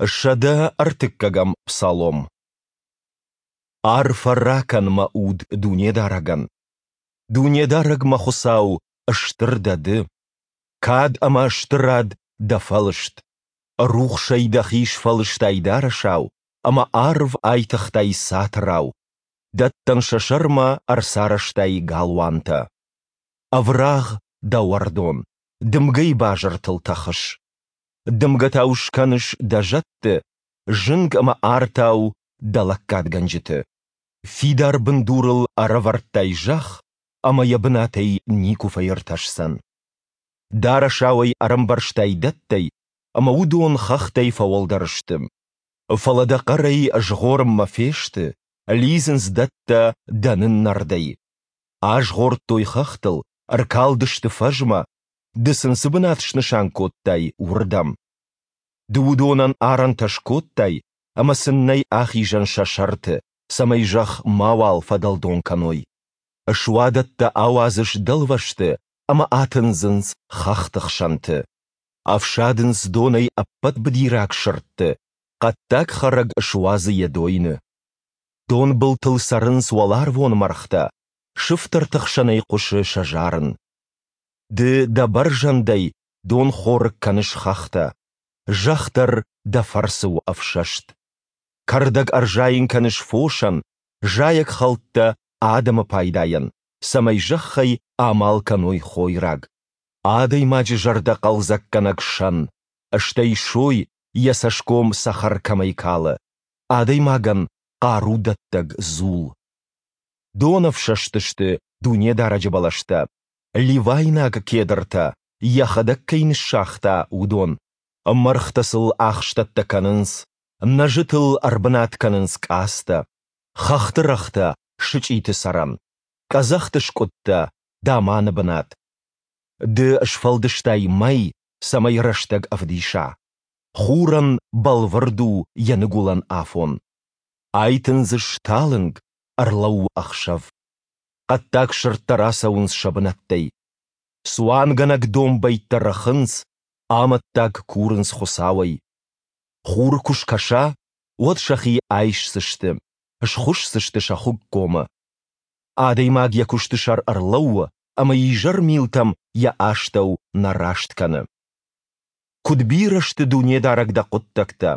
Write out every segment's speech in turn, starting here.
133-ӕм Псалом. Арфӕ ракӕн, мӕ уд, Дунедарӕгӕн! Дунедарӕг, мӕ Хуыцау, стыр дӕ Ды! Кад ӕмӕ стырад дӕ фӕлыст. Рухсӕй дӕхи сфӕлыстай дарӕсау, ӕмӕ арв айтыгътай цатырау, дӕттӕн сӕ сӕрмӕ ӕрцарӕзтай галуантӕ. Ӕврагъ дӕ уӕрдон, дымгӕйы базыртыл тӕхыс. Дымгӕтау скӕныс дӕ зӕдты, зынг ӕмӕ артау дӕ лӕггадгӕнджыты. Фидар бындурыл ӕрӕвӕрдтай зӕхх, ӕмӕ йӕ бынатӕй никуы фӕиртӕсдзӕн. Дарӕсау ӕй ӕрӕмбӕрзтай дӕттӕй, ӕмӕ уыдон хӕхтӕй фӕуӕлдӕр сты. Фӕлӕ дӕ хъӕрӕй згъорынмӕ фесты, лидзынц дӕттӕ дӕ ныннӕрдӕй. Азгъордтой хӕхтыл, ӕркалдысты фӕзмӕ, ды сын цы бынат снысан кодтай, уырдӕм. Ды уыдонӕн арӕнтӕ скодтай, ӕмӕ сын нӕй ахизӕн сӕ сӕрты, цӕмӕй зӕхх мауал фӕдӕлдон кӕной. Суадӕттӕ ауадзыс дӕлвӕзты ӕмӕ атындзынц хӕхты хсӕнты. Ӕфсадынц донӕй ӕппӕт быдираг сырдты, хъӕддаг хӕрӕг суадзы йӕ дойны. Донбылтыл цӕрынц уӕларвон мӕргътӕ, сыфтӕрты хсӕнӕй хъуысы сӕ зарын. Ды дӕ бӕрзӕндӕй донхорыг кӕныс хӕхтӕ, зӕхх дӕр дӕ фӕрцы у ӕфсӕст. Кӕрдӕг ӕрзайын кӕныс фосӕн, зайӕгхӕлттӕ адӕмы пайдайӕн, цӕмӕй зӕххӕй амал кӕной хойраг. Адӕймаджы зӕрдӕ хъӕлдзӕггӕнӕг сӕн, стӕй сой йӕ цӕсгом цӕхӕр кӕмӕй калы, адӕймагӕн хъарудӕттӕг дзул. Донӕфсӕст сты Дунедарӕджы бӕлӕстӕ, ливайнаг кедртӕ, йӕхӕдӕг кӕй ныссагъта, уыдон. Мӕргътӕ сыл ахстӕттӕ кӕнынц, нӕзытыл ӕрбынат кӕнынц къадзтӕ, хӕхты рӕгътӕ сычъиты цӕрӕн, къӕдзӕхты скъуыдтӕ даманы бынат. Ды сфӕлдыстай мӕй, цӕмӕй рӕстӕг ӕвдиса. Хурӕн бӕлвырд у йӕ ныгуылӕн афон. Айтындзыс талынг, ӕрлӕууы ӕхсӕв. Хъӕддаг сырдтӕ рацӕуынц сӕ бынӕттӕй. Цуангӕнӕг домбӕйттӕ рыхынц, амӕттаг курынц Хуыцауӕй. Хур куы скӕса, уӕд сӕхи айсдзысты, схуысдзысты сӕ хуыггомы. Адӕймаг йӕ куысты сӕр ӕрлӕууы ӕмӕ изӕрмилтӕм йӕ астӕу нӕ раст кӕны. Куыд бирӕ сты Дунедарӕг дӕ хъуыддӕгтӕ!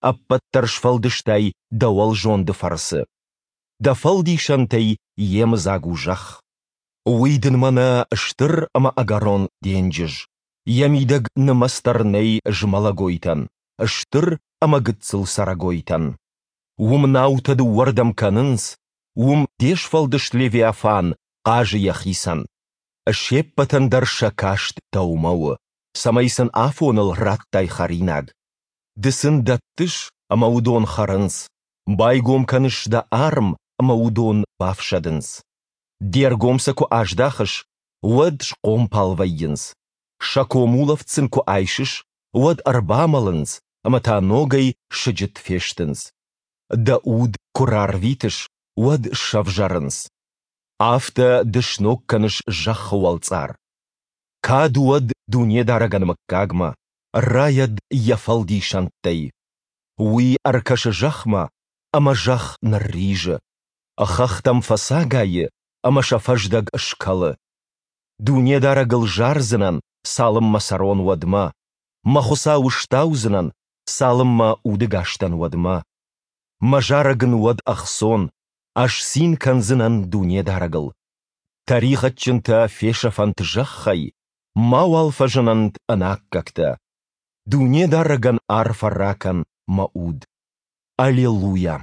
Ӕппӕт дӕр сфӕлдыстай дӕ уӕлзонды фӕрцы. Дӕ фӕлдисӕнтӕй йемыдзаг у зӕхх. Уый дын мӕнӕ стыр ӕмӕ ӕгӕрон денджыз, йӕ мидӕг нымӕц дӕр нӕй змӕлӕгойтӕн, стыр ӕмӕ гыццыл цӕрӕгойтӕн. Уым наутӕ дыууӕрдӕм кӕнынц, уым де сфӕлдыст Левиафан хъазы йӕхицӕн. Се ппӕтӕн дӕр сӕ каст дӕумӕ у, цӕмӕй сын афоныл радтай хӕринаг. Ды сын дӕттыс, ӕмӕ уыдон хӕрынц, байгом кӕныс дӕ арм, ӕмӕ уыдон бафсӕдынц. Де ргом сӕ куы аздахыс, уӕд схъомпал вӕййынц. Сӕ комулӕфт сын куы айсыс, уӕд ӕрбамӕлынц ӕмӕ та ногӕй сыджыт фестынц. Дӕ уд куы рарвитыс, уӕд сӕвзӕрынц. Афтӕ ды сног кӕныс зӕххы уӕлцъар. Кад уӕд Дунедарӕгӕн мыггагмӕ, райӕд йӕ фӕлдисӕндтӕй. Уый ӕркӕсы зӕхмӕ, ӕмӕ зӕхх нырризы. Хӕхтӕм фӕцагайы, ӕмӕ сӕ фӕздӕг скӕлы. Дунедарӕгыл зардзынӕн, цалынмӕ цӕрон, уӕдмӕ. Мӕ Хуыцауы стаудзынӕн, цалынмӕ удӕгас дӕн, уӕдмӕ. Мӕ зарӕг ын уӕд ӕхцон, ӕз цин кӕндзынӕн Дунедарӕгыл. Тӕригъӕдджынтӕ фесӕфӕнт зӕххӕй, мауал фӕзынӕнт ӕнаккӕгтӕ. Дунедарӕгӕн арфӕ ракӕн, мӕ уд. Аллилуйа!